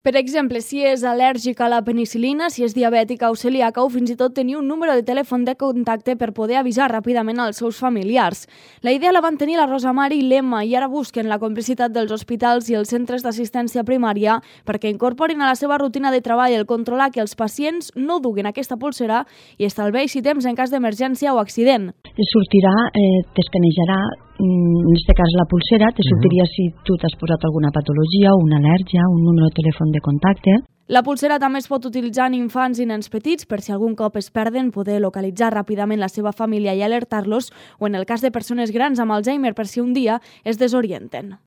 Per exemple, si és al·lèrgica a la penicil·lina, si és diabètica o celíaca o fins i tot tenir un número de telèfon de contacte per poder avisar ràpidament als seus familiars. La idea la van tenir la Rosa Mari i l'Emma i ara busquen la complicitat dels hospitals i els centres d'assistència primària perquè incorporin a la seva rutina de treball el controlar que els pacients no duguin aquesta polsera i estalveixi temps en cas d'emergència o accident. Sortirà, t'escanejarà, en aquest cas la pulsera, te sortiria si tu t'has posat alguna patologia, una al·lèrgia, un número de telèfon de contacte. La pulsera també es pot utilitzar en infants i nens petits per si algun cop es perden poder localitzar ràpidament la seva família i alertar-los o en el cas de persones grans amb Alzheimer per si un dia es desorienten.